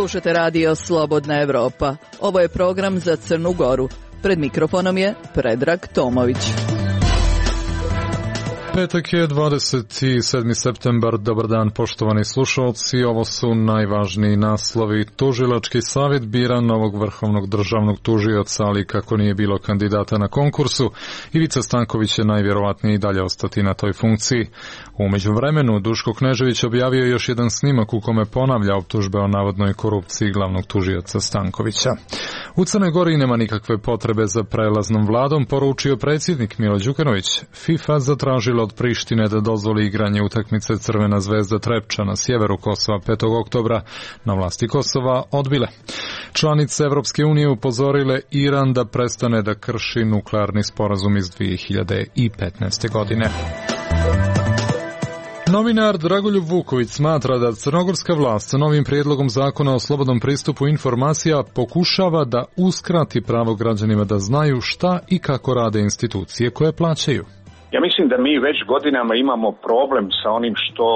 Slušate radio Slobodna Evropa. Ovo je program za Crnu Goru. Pred mikrofonom je Predrag Tomović. Petak je 27. septembar. Dobar dan, poštovani slušalci. Ovo su najvažniji naslovi. Tužilački savjet bira novog vrhovnog državnog tužioca, ali kako nije bilo kandidata na konkursu, Ivica Stanković je najvjerovatnije i dalje ostati na toj funkciji. U međuvremenu Duško Knežević objavio još jedan snimak u kome ponavlja optužbe o navodnoj korupciji glavnog tužioca Stankovića. U Crnoj Gori nema nikakve potrebe za prelaznom vladom, poručio predsjednik Milo Đukanović. FIFA zatražila od Prištine da dozvoli igranje utakmice Crvena zvezda Trepča na sjeveru Kosova 5. oktobra, na vlasti Kosova odbile. Članice Evropske unije upozorile Iran da prestane da krši nuklearni sporazum iz 2015. godine. Novinar Dragoljub Vuković smatra da crnogorska vlast sa novim prijedlogom zakona o slobodnom pristupu informacija pokušava da uskrati pravo građanima da znaju šta i kako rade institucije koje plaćaju. Ja mislim da mi već godinama imamo problem sa onim što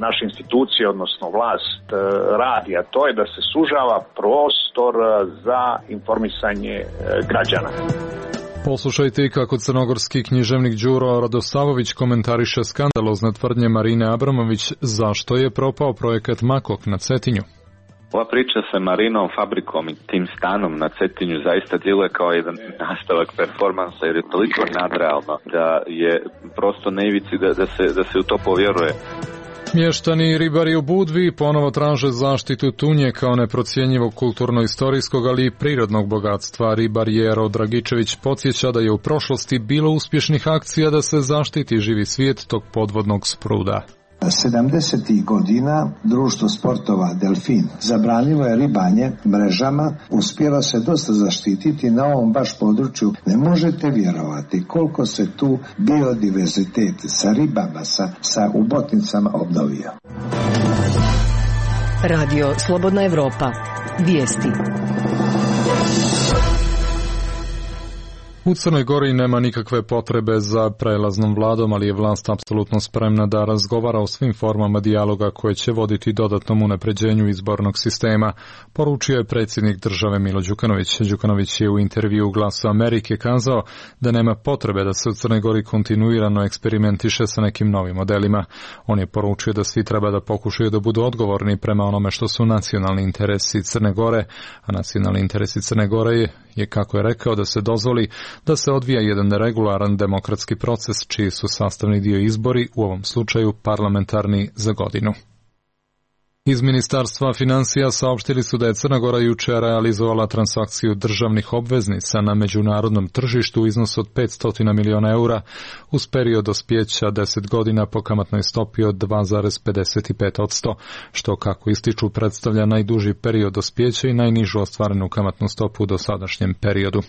naše institucije, odnosno vlast, radi, a to je da se sužava prostor za informisanje građana. Poslušajte i kako crnogorski književnik Đuro Radosavović komentariše skandalozne tvrdnje Marine Abramović zašto je propao projekat Makok na Cetinju. Ova priča sa Marinom, fabrikom i tim stanom na Cetinju zaista djeluje kao jedan nastavak performansa jer je toliko nadrealno da je prosto na ivici da se u to povjeruje. Mještani i ribari u Budvi ponovo traže zaštitu tunje kao neprocjenjivog kulturno-istorijskog, ali i prirodnog bogatstva. Ribar Jero Dragičević podsjeća da je u prošlosti bilo uspješnih akcija da se zaštiti živi svijet tog podvodnog spruda. 70. godina društvo sportova Delfin zabranilo je ribanje mrežama, uspjelo se dosta zaštititi na ovom baš području. Ne možete vjerovati koliko se tu biodiverzitet sa ribama, sa ubotnicama obnovio. Radio Slobodna Evropa. Vijesti. U Crnoj Gori nema nikakve potrebe za prelaznom vladom, ali je vlast apsolutno spremna da razgovara o svim formama dijaloga koje će voditi dodatnom unapređenju izbornog sistema, poručio je predsjednik države Milo Đukanović. Đukanović je u intervju u Glasu Amerike kazao da nema potrebe da se u Crnoj Gori kontinuirano eksperimentiše sa nekim novim modelima. On je poručio da svi treba da pokušaju da budu odgovorni prema onome što su nacionalni interesi Crne Gore, a nacionalni interesi Crne Gore je kako je rekao, da se dozvoli da se odvija jedan regularan demokratski proces čiji su sastavni dio izbori, u ovom slučaju parlamentarni za godinu. Iz Ministarstva financija saopštili su da je Crna Gora jučer realizovala transakciju državnih obveznica na međunarodnom tržištu u iznosu od 500 miliona eura uz period dospijeća 10 godina po kamatnoj stopi od 2,55%, što kako ističu predstavlja najduži period dospijeća i najnižu ostvarenu kamatnu stopu u dosadašnjem periodu.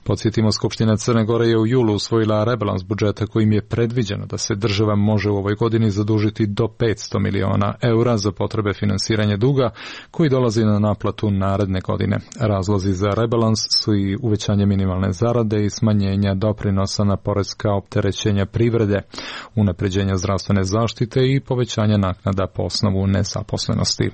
Podsjetimo, Skupština Crne Gore je u julu usvojila rebalans budžeta kojim je predviđeno da se država može u ovoj godini zadužiti do 500 miliona eura za potrebe finansiranje duga koji dolazi na naplatu naredne godine. Razlozi za rebalans su i uvećanje minimalne zarade i smanjenja doprinosa na poreska opterećenja privrede, unapređenja zdravstvene zaštite i povećanja naknada po osnovu nezaposlenosti.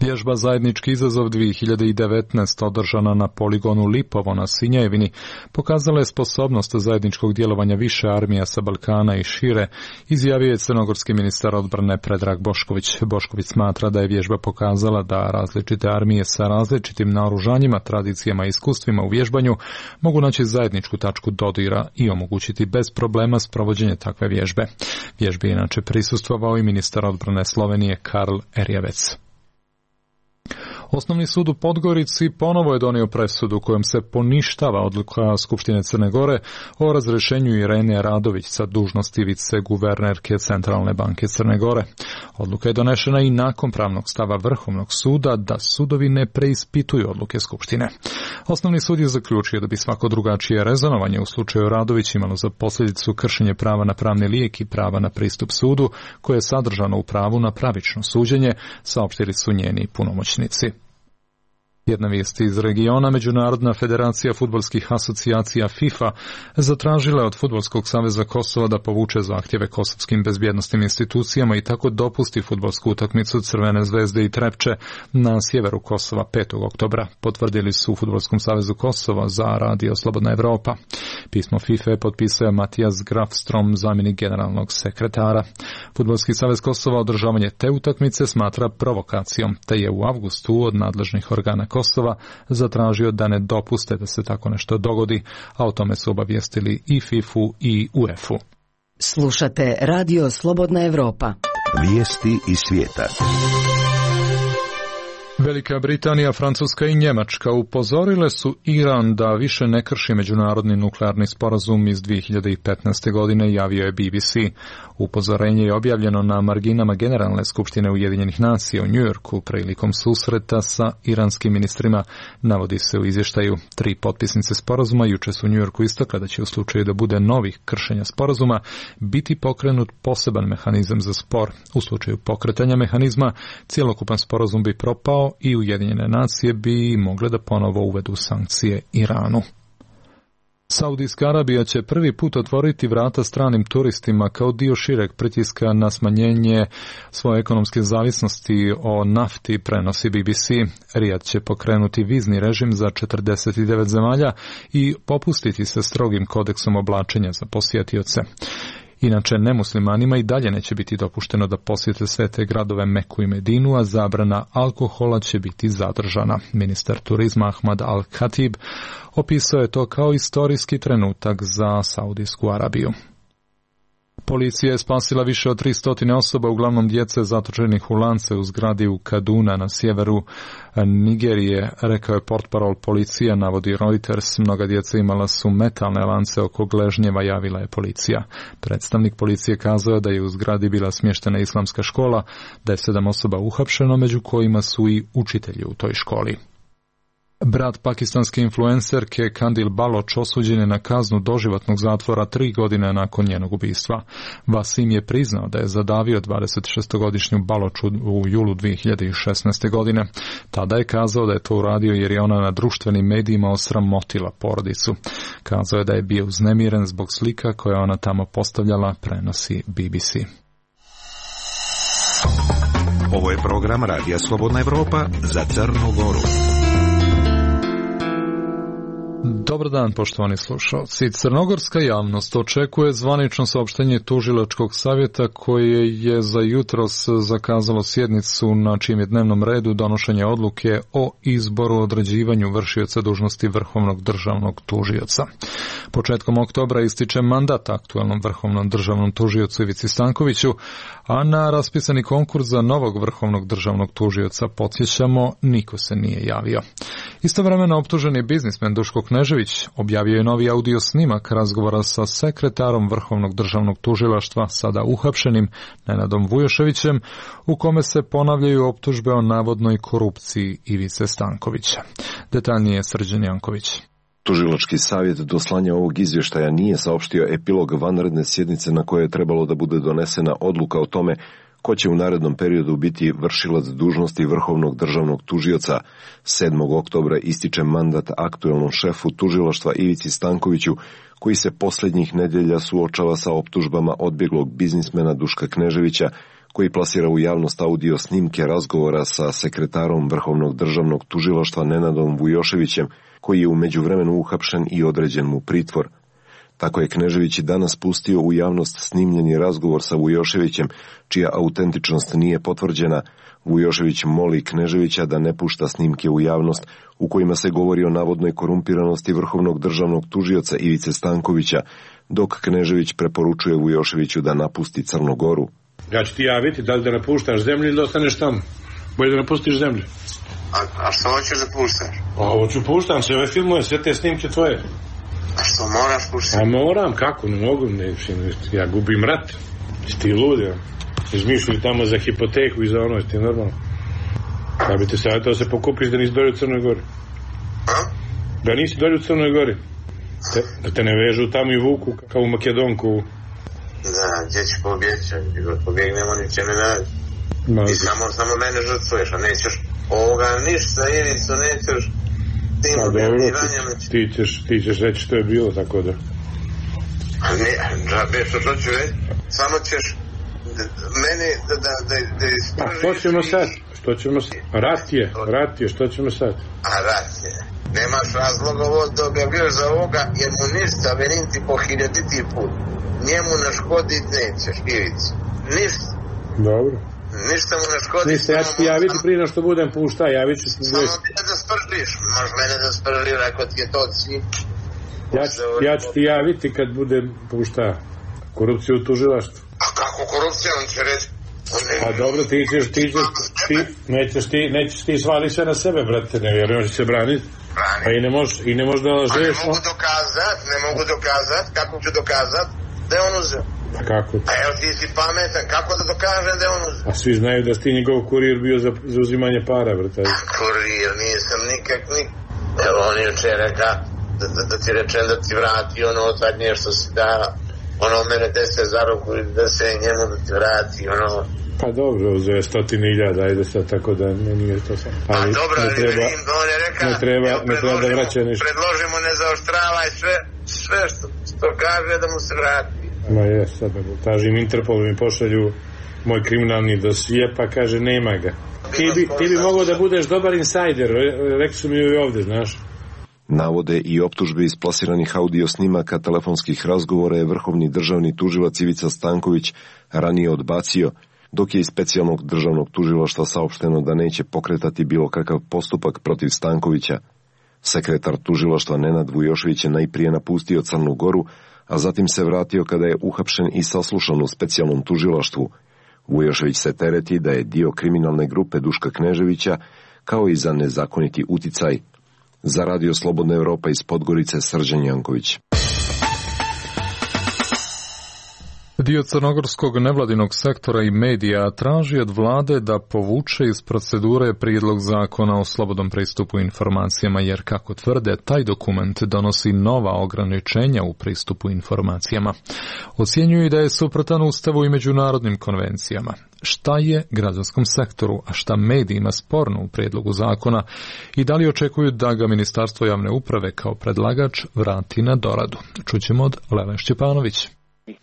Vježba Zajednički izazov 2019 održana na poligonu Lipovo na Sinjevini pokazala je sposobnost zajedničkog djelovanja više armija sa Balkana i šire, izjavio je crnogorski ministar odbrane Predrag Bošković. Bošković smatra da je vježba pokazala da različite armije sa različitim naoružanjima, tradicijama i iskustvima u vježbanju mogu naći zajedničku tačku dodira i omogućiti bez problema sprovođenje takve vježbe. Vježbi je inače prisustvovao i ministar odbrane Slovenije Karl Erjavec. Osnovni sud u Podgorici ponovo je donio presudu kojom se poništava odluka Skupštine Crne Gore o razrješenju Irene Radović sa dužnosti viceguvernerke Centralne banke Crne Gore. Odluka je donešena i nakon pravnog stava Vrhovnog suda da sudovi ne preispituju odluke Skupštine. Osnovni sud je zaključio da bi svako drugačije rezonovanje u slučaju Radović imalo za posljedicu kršenje prava na pravni lijek i prava na pristup sudu, koje je sadržano u pravu na pravično suđenje, saopštili su njeni punomoćnici. Jedna vijest iz regiona, Međunarodna federacija fudbalskih asocijacija FIFA zatražila od Fudbalskog saveza Kosova da povuče zahtjeve kosovskim bezbjednosnim institucijama i tako dopusti fudbalsku utakmicu Crvene zvezde i Trepče na sjeveru Kosova 5. oktobra, potvrdili su u Fudbalskom savezu Kosova za Radio Slobodna Evropa. Pismo FIFA je potpisao Matijas Grafstrom, zamjenik generalnog sekretara. Fudbalski savez Kosova održavanje te utakmice smatra provokacijom, te je u avgustu od nadležnih organa Kosova zatražio da ne dopuste da se tako nešto dogodi, a o tome su obavijestili i FIFA-u i UEFA-u. Slušate Radio Slobodna Evropa. Vijesti iz svijeta. Velika Britanija, Francuska i Njemačka upozorile su Iran da više ne krši međunarodni nuklearni sporazum iz 2015. godine, javio je BBC. Upozorenje je objavljeno na marginama Generalne skupštine Ujedinjenih nacija u Njujorku prilikom susreta sa iranskim ministrima, navodi se u izvještaju. 3 potpisnice sporazuma juče su u Njujorku istakle da će u slučaju da bude novih kršenja sporazuma biti pokrenut poseban mehanizam za spor. U slučaju pokretanja mehanizma cjelokupan sporazum bi propao i Ujedinjene nacije bi mogle da ponovo uvedu sankcije Iranu. Saudijska Arabija će prvi put otvoriti vrata stranim turistima kao dio šireg pritiska na smanjenje svoje ekonomske zavisnosti o nafti, prenosi BBC. Rijad će pokrenuti vizni režim za 49 zemalja i popustiti se strogim kodeksom oblačenja za posjetioce. Inače, nemuslimanima i dalje neće biti dopušteno da posjete svete gradove Meku i Medinu, a zabrana alkohola će biti zadržana. Ministar turizma Ahmad Al-Khatib opisao je to kao istorijski trenutak za Saudijsku Arabiju. Policija je spasila više od 300 osoba, uglavnom djece zatočenih u lance u zgradi u Kaduna na sjeveru Nigerije, rekao je portparol policija, navodi Reuters. Mnoga djeca imala su metalne lance oko gležnjeva, javila je policija. Predstavnik policije kazao je da je u zgradi bila smještena islamska škola, da je 7 osoba uhapšeno, među kojima su i učitelji u toj školi. Brat pakistanske influencerke Kandil Baloch osuđen je na kaznu doživotnog zatvora 3 godine nakon njenog ubistva. Wasim je priznao da je zadavio 26-godišnju Baloch u julu 2016. godine. Tada je kazao da je to uradio jer je ona na društvenim medijima osramotila porodicu. Kazao je da je bio uznemiren zbog slika koje ona tamo postavljala, prenosi BBC. Ovo je program Radija Slobodna Evropa za Crnu Goru. Dobar dan, poštovani slušalci. Crnogorska javnost očekuje zvanično saopštenje tužilačkog savjeta koje je za jutros zakazalo sjednicu na čijem je dnevnom redu donošenje odluke o izboru određivanju vršioca dužnosti vrhovnog državnog tužioca. Početkom oktobra ističe mandat aktualnom vrhovnom državnom tužiocu Ivici Stankoviću, a na raspisani konkurs za novog vrhovnog državnog tužioca, podsjećamo, niko se nije javio. Istovremeno optuženi biznismen Duško Knežević objavio je novi audio snimak razgovora sa sekretarom Vrhovnog državnog tužilaštva, sada uhapšenim Nenadom Vujoševićem, u kome se ponavljaju optužbe o navodnoj korupciji Ivice Stankovića. Detaljnije Srđan Janković. Tužilački savjet do slanja ovog izvještaja nije saopštio epilog vanredne sjednice na kojoj je trebalo da bude donesena odluka o tome ko će u narednom periodu biti vršilac dužnosti Vrhovnog državnog tužioca. 7. oktobra ističe mandat aktuelnom šefu tužilaštva Ivici Stankoviću, koji se posljednjih nedjelja suočava sa optužbama odbjeglog biznismena Duška Kneževića, koji plasira u javnost audio snimke razgovora sa sekretarom Vrhovnog državnog tužilaštva Nenadom Vujoševićem, koji je u međuvremenu uhapšen i određen mu pritvor. Tako je Knežević i danas pustio u javnost snimljeni razgovor sa Vujoševićem, čija autentičnost nije potvrđena. Vujošević moli Kneževića da ne pušta snimke u javnost u kojima se govori o navodnoj korumpiranosti Vrhovnog državnog tužioca Ivice Stankovića, dok Knežević preporučuje Vujoševiću da napusti Crnu Goru. Ja ću ti javiti da li da napuštaš zemlju ili da ostaneš tamo. Bolje da napustiš zemlju. A što hoćeš da puštaš? Hoću puštam se, ove filmove, sve te snimke tvoje. A što moraš puštati? A moram, kako, ne mogu, ja gubim rat. Ti ludi, izmišljaju tamo za hipoteku i za ono, ti normalno. Da bi te savjetao se pokupiš da nisi dolje u Crnoj Gori. Da nisi dolje u Crnoj Gori. Da te ne vežu tamo i vuku kao u Makedonku. Da, gdje ću pobjeći, pobjegnemo, niče ne radi. Ti samo mene žrtvuješ, a nećeš Ništa, Ivicu, nećeš tim objavljivanjama. Ti ćeš reći što je bilo, tako da. Ne, džabe, što ću reći, samo ćeš meni da ispržiš. A što ćemo sad? Rat je, što ćemo sad? A rat je. Nemaš razloga ovo da objavljaš za ovoga, jer mu ništa, verim ti po 1000 put. Njemu naškodit nećeš, Ivicu. Ništa. Dobro. Ništa mu naškodit. Ništa, ja ću ti javiti prije na što budem pušta, javit ću ti. Samo ti da spržiš, možeš mene da spržiš, ako ti je to cilj. Ja ću ti javiti kad budem pušta korupciju u tužilaštvu. A kako korupcija, on će reći? A dobro, nećeš ti svali sve na sebe, brate, ne vjerujem da će se braniti. A i ne možeš da lažeš. Ne mogu dokazat, kako ću dokazat da je on uzeo? A kako? A evo ti si pametan, kako da dokažem da je on uzeo? A svi znaju da si ti njegov kurir bio za uzimanje para, brate. Kurir, nisam nikak. Evo on juče reka da ti rečem da ti vrati ono zadnje što si dao. Ono mene 10 za ruku i da se njemu da ti vrati, ono. Pa dobro, uzeo je 100.000, ajde sad, tako da nije to sam. Ali dobro, ne treba da vraća ništa. Predložimo ne zaoštravaj sve što kaže da mu se vrati. Ma jes, sad tražim Interpol, mi pošalju moj kriminalni dosije, pa kaže nema ga. Ti bi mogao da budeš dobar insajder, rekli su mi i ovdje, znaš. Navode i optužbe iz plasiranih audio snimaka telefonskih razgovora je vrhovni državni tužilac Ivica Stanković ranije odbacio, dok je iz specijalnog državnog tužilaštva saopšteno da neće pokretati bilo kakav postupak protiv Stankovića. Sekretar tužilaštva Nenad Vujošević je najprije napustio Crnu Goru, a zatim se vratio kada je uhapšen i saslušan u specijalnom tužilaštvu. Vujošević se tereti da je dio kriminalne grupe Duška Kneževića, kao i za nezakoniti uticaj. Za Radio Slobodna Evropa iz Podgorice, Srđan Janković. Dio crnogorskog nevladinog sektora i medija traži od vlade da povuče iz procedure prijedlog zakona o slobodnom pristupu informacijama, jer, kako tvrde, taj dokument donosi nova ograničenja u pristupu informacijama. Ocjenjuju da je suprotan Ustavu i međunarodnim konvencijama. Šta je građanskom sektoru, a šta medijima sporno u prijedlogu zakona i da li očekuju da ga Ministarstvo javne uprave kao predlagač vrati na doradu? Čućemo od Lele Šćepanović.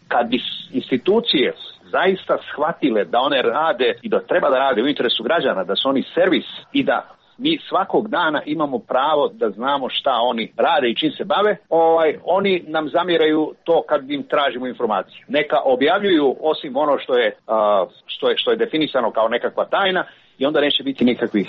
Kad bi institucije zaista shvatile da one rade i da treba da rade u interesu građana, da su oni servis i da mi svakog dana imamo pravo da znamo šta oni rade i čim se bave, oni nam zamjeraju to kad im tražimo informaciju. Neka objavljuju osim ono što je definisano kao nekakva tajna, i onda neće biti nikakvih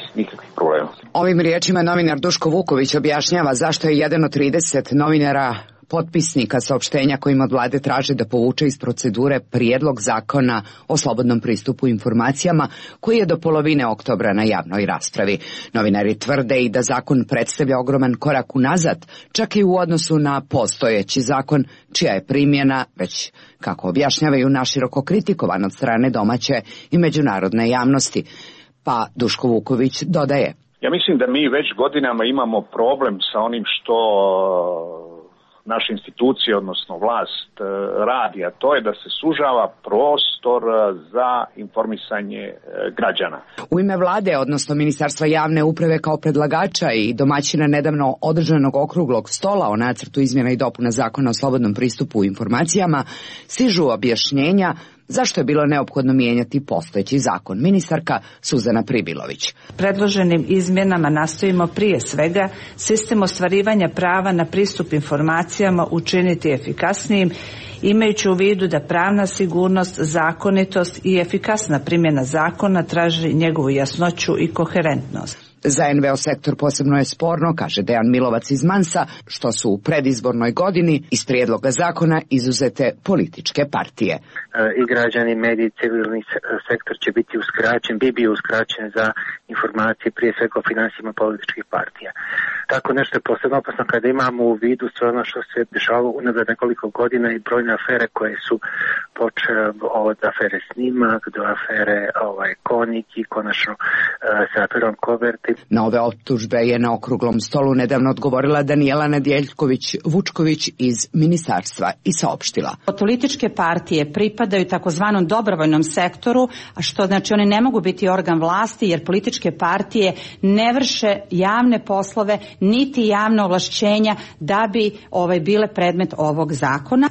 problema. Ovim riječima novinar Duško Vuković objašnjava zašto je jedan od 30 novinara potpisnika saopštenja kojim od vlade traže da povuče iz procedure prijedlog zakona o slobodnom pristupu informacijama koji je do polovine oktobra na javnoj raspravi. Novinari tvrde i da zakon predstavlja ogroman korak unazad, čak i u odnosu na postojeći zakon, čija je primjena već, kako objašnjavaju, naširoko kritikovan od strane domaće i međunarodne javnosti. Pa Duško Vuković dodaje: Ja mislim da mi već godinama imamo problem sa onim što naše institucije, odnosno vlast, radi, a to je da se sužava prostor za informisanje građana. U ime vlade, odnosno Ministarstva javne uprave kao predlagača i domaćina nedavno održanog okruglog stola o nacrtu izmjena i dopuna zakona o slobodnom pristupu informacijama, stižu objašnjenja zašto je bilo neophodno mijenjati postojeći zakon. Ministarka Suzana Pribilović: Predloženim izmjenama nastojimo prije svega sistem ostvarivanja prava na pristup informacijama učiniti efikasnijim, imajući u vidu da pravna sigurnost, zakonitost i efikasna primjena zakona traži njegovu jasnoću i koherentnost. Za NVO sektor posebno je sporno, kaže Dejan Milovac iz Mansa, što su u predizbornoj godini iz prijedloga zakona izuzete političke partije. I građani, mediji, civilni sektor će biti uskraćen, bi bio uskraćen za informacije prije svega o finansijama političkih partija. Tako nešto je posebno opasno kada imamo u vidu sve ono što se dešavalo unazad nekoliko godina i brojne afere koje su počeo od afere Snimak do afere Konik i konačno sa aferom Koverti. Na ove optužbe je na okruglom stolu nedavno odgovorila Danijela Nedjeljković-Vučković iz ministarstva i saopštila. Političke partije pripadaju takozvanom dobrovoljnom sektoru, a što znači oni ne mogu biti organ vlasti jer političke partije ne vrše javne poslove niti javna ovlašćenja da bi bile predmet ovog zakona.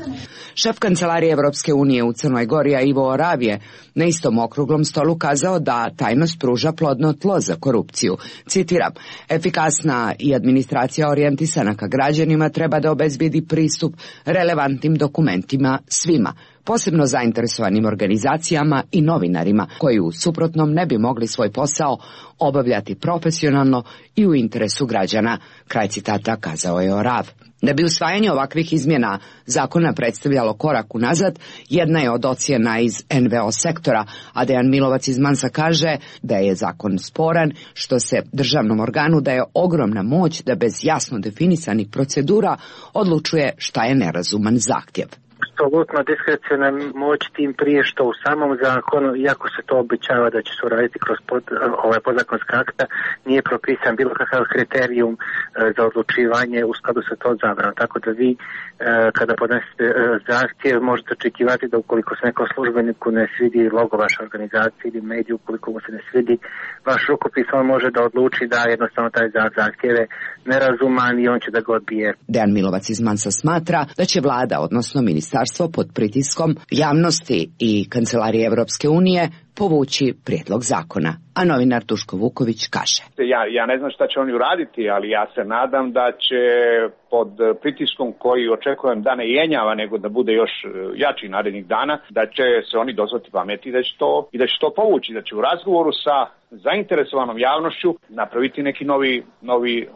Šef kancelarije Evropske unije u Crnoj Gori Ivo Orav je na istom okruglom stolu kazao da tajnost pruža plodno tlo za korupciju. Citiram, efikasna i administracija orijentisana ka građanima treba da obezbedi pristup relevantnim dokumentima svima, posebno zainteresovanim organizacijama i novinarima koji u suprotnom ne bi mogli svoj posao obavljati profesionalno i u interesu građana. Kraj citata kazao je Orav. Da bi usvajanje ovakvih izmjena zakona predstavljalo korak unazad, jedna je od ocjena iz NVO sektora, a Dejan Milovac iz Mansa kaže da je zakon sporan, što se državnom organu daje ogromna moć da bez jasno definisanih procedura odlučuje šta je nerazuman zahtjev. Apsolutno diskreciona moć, tim prije što u samom zakonu, iako se to obećava da će se uraditi kroz podzakonska akta, nije propisan bilo kakav kriterijum za odlučivanje u skladu sa to zabranom. Tako da vi kada podnesete zahtjev možete očekivati da ukoliko se nekom službeniku ne svidi logo vaše organizacije ili mediju, ukoliko mu se ne svidi vaš rukopis, on može da odluči da jednostavno taj zahtjev je nerazuman i on će da ga odbije. Dejan Milovac iz Mansa smatra da će vlada, odnosno ministarstvo pod pritiskom javnosti i kancelarije Evropske unije povući prijedlog zakona. A novinar Duško Vuković kaže. Ja ne znam šta će oni uraditi, ali ja se nadam da će pod pritiskom koji očekujem da ne jenjava, nego da bude još jači narednih dana, da će se oni dozvati pameti i da će to povući, da će u razgovoru sa zainteresovanom javnošću napraviti neki novi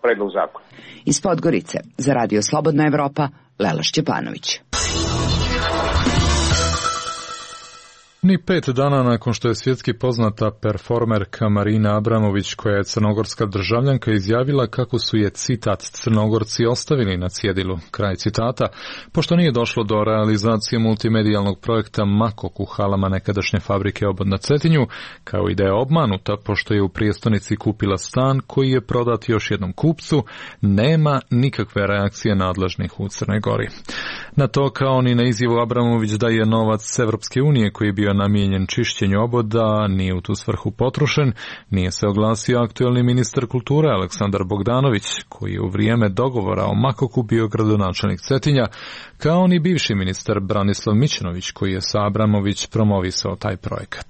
predlog zakona. Iz Podgorice za Radio Slobodna Evropa, Lela Šćepanović. Ni 5 dana nakon što je svjetski poznata performerka Marina Abramović, koja je crnogorska državljanka, izjavila kako su je, citat, Crnogorci ostavili na cjedilu, kraj citata, pošto nije došlo do realizacije multimedijalnog projekta Makok u halama nekadašnje fabrike Obod na Cetinju, kao i da je obmanuta pošto je u prijestonici kupila stan koji je prodat još jednom kupcu, nema nikakve reakcije nadležnih u Crnoj Gori. Na to, kao ni na izjavu Abramović da je novac Evropske unije koji je bio namijenjen čišćenju oboda nije u tu svrhu potrošen, nije se oglasio aktuelni ministar kulture Aleksandar Bogdanović, koji je u vrijeme dogovora o Makoku bio gradonačelnik Cetinja, kao ni bivši ministar Branislav Mićunović, koji je sa Abramović promovisao taj projekat.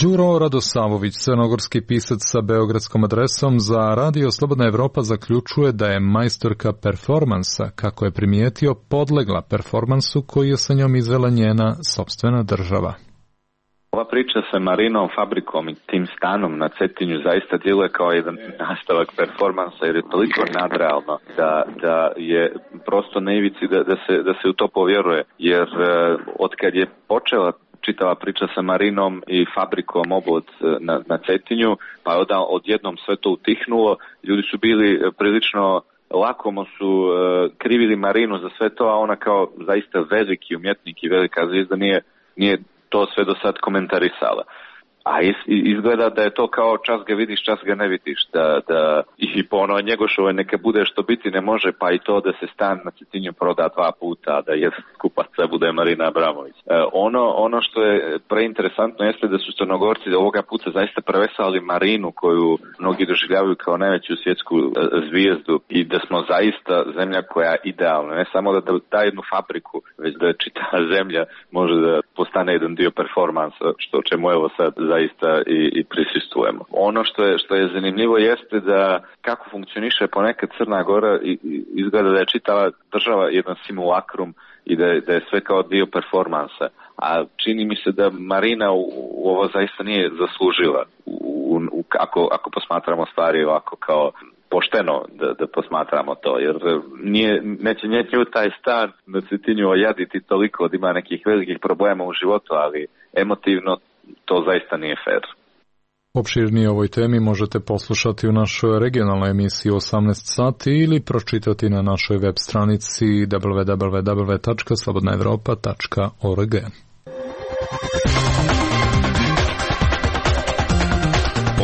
Đuro Radosavović, crnogorski pisac sa beogradskom adresom, za Radio Slobodna Evropa zaključuje da je majstorka performansa, kako je primijetio, podlegla performansu koji je sa njom izvela njena sopstvena država. Ova priča sa Marinom, fabrikom i tim stanom na Cetinju zaista djeluje kao jedan nastavak performansa, jer je toliko nadrealno da je prosto na ivici da se u to povjeruje, jer otkad je počela čitava priča sa Marinom i fabrikom Obod na Cetinju, pa je odjednom sve to utihnulo, ljudi su bili prilično lakomo su krivili Marinu za sve to, a ona kao zaista veliki umjetnik i velika zvijezda nije to sve do sad komentarisala. A izgleda da je to kao čas ga vidiš, čas ga ne vidiš, da i po onoj Njegošovoj neka bude što biti ne može, pa i to da se stan na Cetinju proda 2 puta, da jedan kupaca bude Marina Abramović. Ono što je preinteresantno jeste da su Crnogorci ovoga puta zaista prevesali Marinu, koju mnogi doživljavaju kao najveću svjetsku zvijezdu, i da smo zaista zemlja koja je idealna, ne samo da da jednu fabriku, već da čitava zemlja može da postane jedan dio performansa, što čemu evo sad zaista i prisustvujemo. Ono što je zanimljivo jeste da kako funkcioniše ponekad Crna Gora, izgleda da je čitava država jedan simulakrum i da je sve kao dio performansa. A čini mi se da Marina u ovo zaista nije zaslužila, ako posmatramo stvari ovako kao pošteno da posmatramo to, jer neće nju taj stan na Cetinju ojaditi toliko da ima nekih velikih problema u životu, ali emotivno to zaista nije fair. Opširnije o ovoj temi možete poslušati u našoj regionalnoj emisiji 18 sati ili pročitati na našoj web stranici www.slobodnaevropa.org.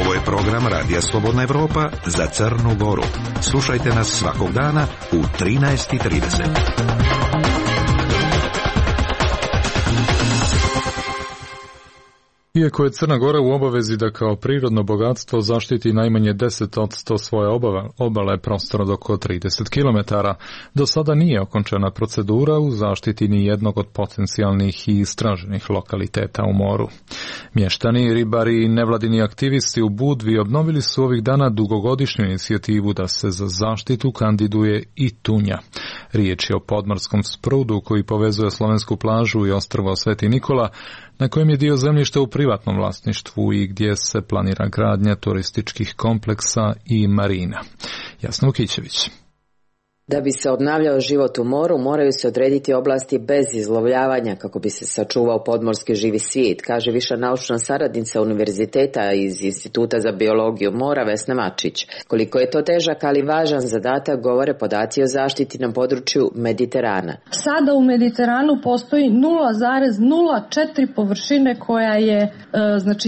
Ovo je program Radija Slobodna Evropa za Crnu Goru. Slušajte nas svakog dana u 13:30. Iako je Crna Gora u obavezi da kao prirodno bogatstvo zaštiti najmanje 10% svoje obale prostora oko 30 km, do sada nije okončena procedura u zaštiti ni jednog od potencijalnih i istraženih lokaliteta u moru. Mještani, ribari i nevladini aktivisti u Budvi obnovili su ovih dana dugogodišnju inicijativu da se za zaštitu kandiduje i tunja. Riječ je o podmorskom sprudu koji povezuje slovensku plažu i ostrvo Sveti Nikola, na kojem je dio zemljišta u privatnom vlasništvu i gdje se planira gradnja turističkih kompleksa i marina. Jasna Vukićević. Da bi se obnavljao život u moru, moraju se odrediti oblasti bez izlovljavanja kako bi se sačuvao podmorski živi svijet, kaže viša naučna saradnica univerziteta iz Instituta za biologiju mora Vesna Mačić. Koliko je to težak, ali važan zadatak, govore podaci o zaštiti na području Mediterana. Sada u Mediteranu postoji 0,04 površine koja je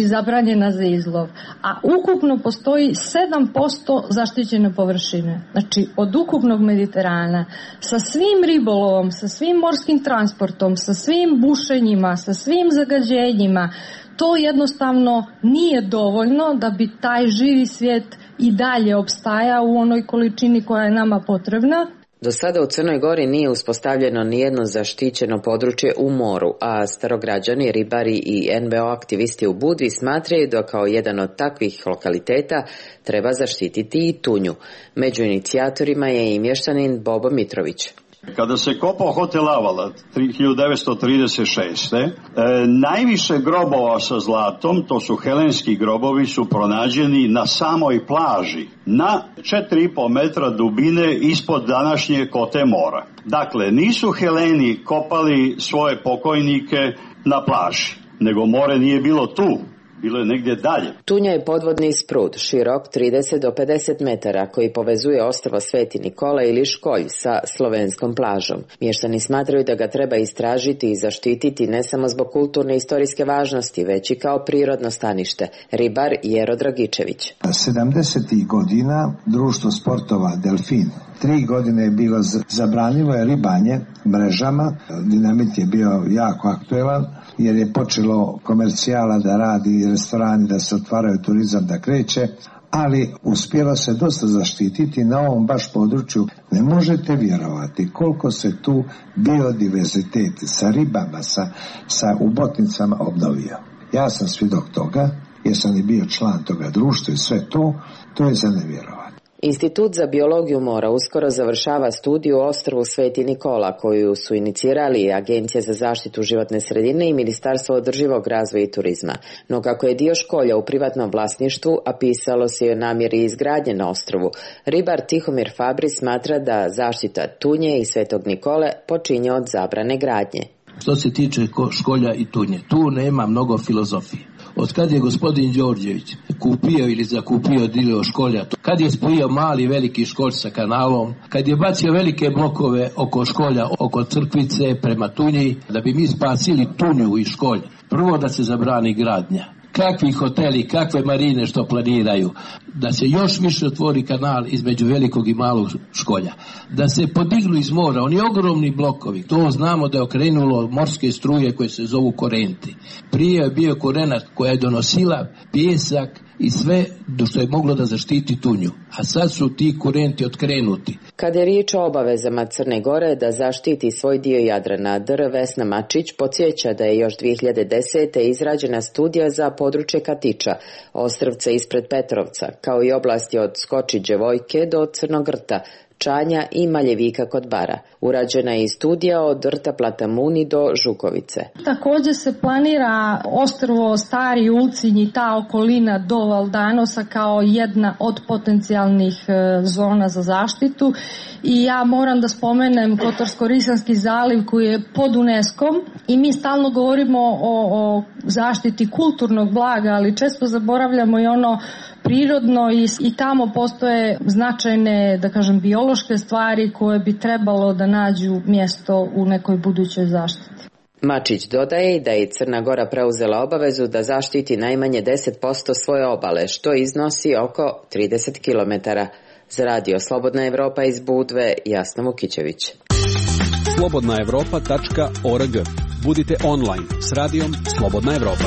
zabranjena za izlov, a ukupno postoji 7% zaštićene površine. Znači, od ukupnog Mediterana sa svim ribolovom, sa svim morskim transportom, sa svim bušenjima, sa svim zagađenjima, to jednostavno nije dovoljno da bi taj živi svijet i dalje opstajao u onoj količini koja je nama potrebna. Do sada u Crnoj Gori nije uspostavljeno nijedno zaštićeno područje u moru, a starograđani, ribari i NVO aktivisti u Budvi smatraju da kao jedan od takvih lokaliteta treba zaštititi i tunju. Među inicijatorima je i mještanin Bobo Mitrović. Kada se kopao hotel Avala 1936. Najviše grobova sa zlatom, to su helenski grobovi, su pronađeni na samoj plaži, na 4,5 metra dubine ispod današnje kote mora. Dakle, nisu Heleni kopali svoje pokojnike na plaži, nego more nije bilo tu. Bilo je negdje dalje. Tunja je podvodni sprud, širok 30 do 50 metara, koji povezuje ostrvo Sveti Nikola ili Školj sa slovenskom plažom. Mještani smatraju da ga treba istražiti i zaštititi ne samo zbog kulturne i istorijske važnosti, već i kao prirodno stanište. Ribar Jero Dragičević. 70. godina društvo sportova Delfin 3 godine je bilo zabranjivo je ribanje mrežama. Dinamit je bio jako aktuelan jer je počelo komercijala da radi, restorani da se otvaraju, turizam da kreće, ali uspjelo se dosta zaštititi na ovom baš području. Ne možete vjerovati koliko se tu biodiverzitet sa ribama, sa ubotnicama obnovio. Ja sam svjedok toga, jer sam i bio član toga društva i sve to je za nevjerovati. Institut za biologiju mora uskoro završava studiju o ostrvu Sveti Nikola, koju su inicirali Agencija za zaštitu životne sredine i Ministarstvo održivog razvoja i turizma. No kako je dio Školja u privatnom vlasništvu, a pisalo se i o namjeri izgradnje na ostrvu, ribar Tihomir Fabri smatra da zaštita tunje i Svetog Nikole počinje od zabrane gradnje. Što se tiče Školja i tunje, tu nema mnogo filozofije. Od kad je gospodin Đorđević kupio ili zakupio dio Školja, kad je spojio mali i veliki Školj sa kanalom, kad je bacio velike blokove oko Školja, oko Crkvice prema Tunji, da bi mi spasili Tunju i Školj, prvo da se zabrani gradnja. Kakvi hoteli, kakve marine što planiraju, da se još više otvori kanal između velikog i malog Školja, da se podignu iz mora oni ogromni blokovi, to znamo da je okrenulo morske struje koje se zovu korenti. Prije je bio korenat koja je donosila pijesak i sve do što je moglo da zaštiti Tunju, a sad su ti korenti otkrenuti. Kada je riječ o obavezama Crne Gore da zaštiti svoj dio Jadrana, dr. Vesna Mačić podsjeća da je još 2010. izrađena studija za područje Katiča, ostrvca ispred Petrovca, kao i oblasti od Skočiđe Vojke do Crnog rta, Čanja i Maljevika kod Bara. Urađena je i studija od rta Platamuni do Žukovice. Također se planira ostrvo Stari Ulcinj i ta okolina do Valdanosa kao jedna od potencijalnih zona za zaštitu. I ja moram da spomenem Kotorsko-Risanski zaliv koji je pod UNESCO-om i mi stalno govorimo o zaštiti kulturnog blaga, ali često zaboravljamo i ono prirodno i tamo postoje značajne, da kažem, biološke stvari koje bi trebalo da nađu mjesto u nekoj budućoj zaštiti. Mačić dodaje da je Crna Gora preuzela obavezu da zaštiti najmanje 10% svoje obale, što iznosi oko 30 km. Za radio Slobodna Evropa iz Budve, Jasna Vukićević. slobodnaevropa.org. Budite online s radijom Slobodna Evropa.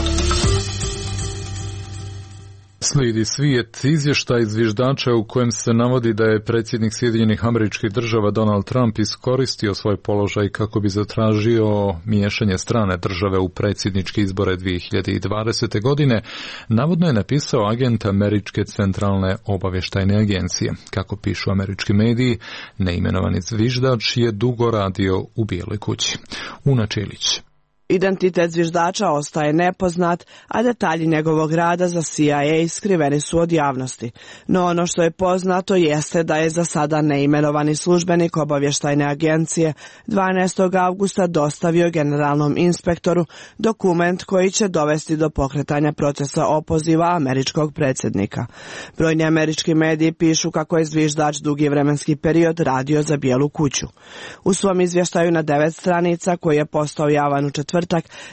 Slijedi svijet izvještaj zviždača u kojem se navodi da je predsjednik Sjedinjenih Američkih Država Donald Trump iskoristio svoj položaj kako bi zatražio miješanje strane države u predsjedničke izbore 2020. godine. Navodno je napisao agent Američke centralne obavještajne agencije. Kako pišu američki mediji, neimenovani zviždač je dugo radio u Bijeloj kući. Una Čilić. Identitet zviždača ostaje nepoznat, a detalji njegovog rada za CIA skriveni su od javnosti. No ono što je poznato jeste da je za sada neimenovani službenik obavještajne agencije 12. avgusta dostavio generalnom inspektoru dokument koji će dovesti do pokretanja procesa opoziva američkog predsjednika. Brojni američki mediji pišu kako je zviždač dugi vremenski period radio za Bijelu kuću. U svom izvještaju na 9 stranica koji je postao javan u četvrtak,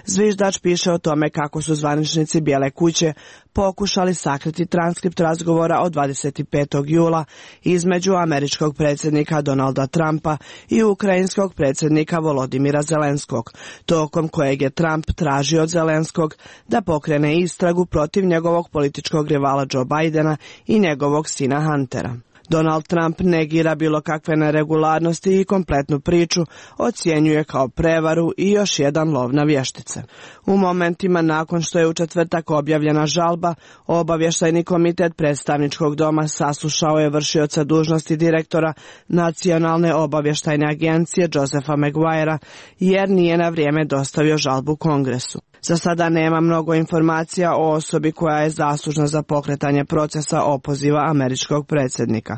zviždač piše o tome kako su zvaničnici Bijele kuće pokušali sakriti transkript razgovora od 25. jula između američkog predsjednika Donalda Trumpa i ukrajinskog predsjednika Volodimira Zelenskog, tokom kojeg je Trump tražio od Zelenskog da pokrene istragu protiv njegovog političkog rivala Joe Bidena i njegovog sina Huntera. Donald Trump negira bilo kakve neregularnosti i kompletnu priču ocjenjuje kao prevaru i još jedan lov na vještice. U momentima nakon što je u četvrtak objavljena žalba, obavještajni komitet predstavničkog doma saslušao je vršioca dužnosti direktora Nacionalne obavještajne agencije Josepha Maguirea jer nije na vrijeme dostavio žalbu Kongresu. Za sada nema mnogo informacija o osobi koja je zaslužna za pokretanje procesa opoziva američkog predsjednika.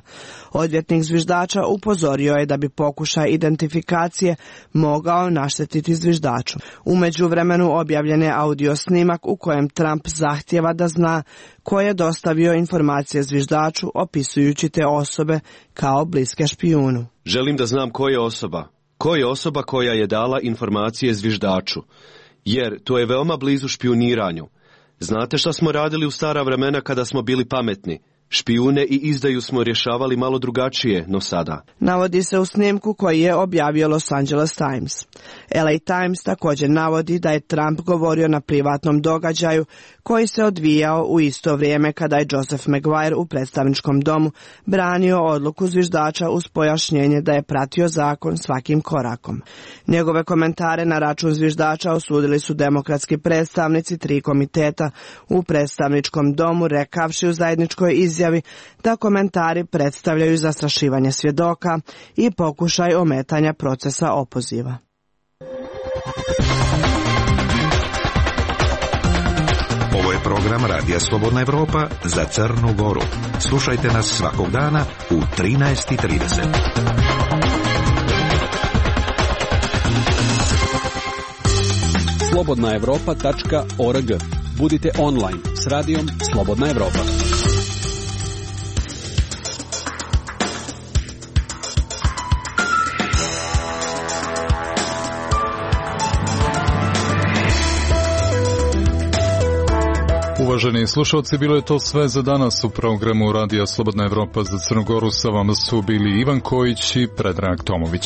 Odvjetnik zviždača upozorio je da bi pokušaj identifikacije mogao naštetiti zviždaču. U međuvremenu objavljen je audio snimak u kojem Trump zahtijeva da zna ko je dostavio informacije zviždaču opisujući te osobe kao bliske špijunu. Želim da znam ko je osoba. Ko je osoba koja je dala informacije zviždaču? Jer to je veoma blizu špijuniranju. Znate šta smo radili u stara vremena kada smo bili pametni? Špijune i izdaju smo rješavali malo drugačije, no sada. Navodi se u snimku koji je objavio Los Angeles Times. LA Times također navodi da je Trump govorio na privatnom događaju koji se odvijao u isto vrijeme kada je Joseph Maguire u predstavničkom domu branio odluku zviždača uz pojašnjenje da je pratio zakon svakim korakom. Njegove komentare na račun zviždača osudili su demokratski predstavnici 3 komiteta u predstavničkom domu, rekavši u zajedničkoj izjavi da komentari predstavljaju zastrašivanje svjedoka i pokušaj ometanja procesa opoziva. Ovo je program Radija Slobodna Evropa za Crnu Goru. Slušajte nas svakog dana u 13:30. slobodnaevropa.org. Budite online s radijom Slobodna Evropa. Uvaženi slušalci, bilo je to sve za danas u programu Radija Slobodna Evropa za Crnu Goru. Sa vama su bili Ivan Kojić i Predrag Tomović.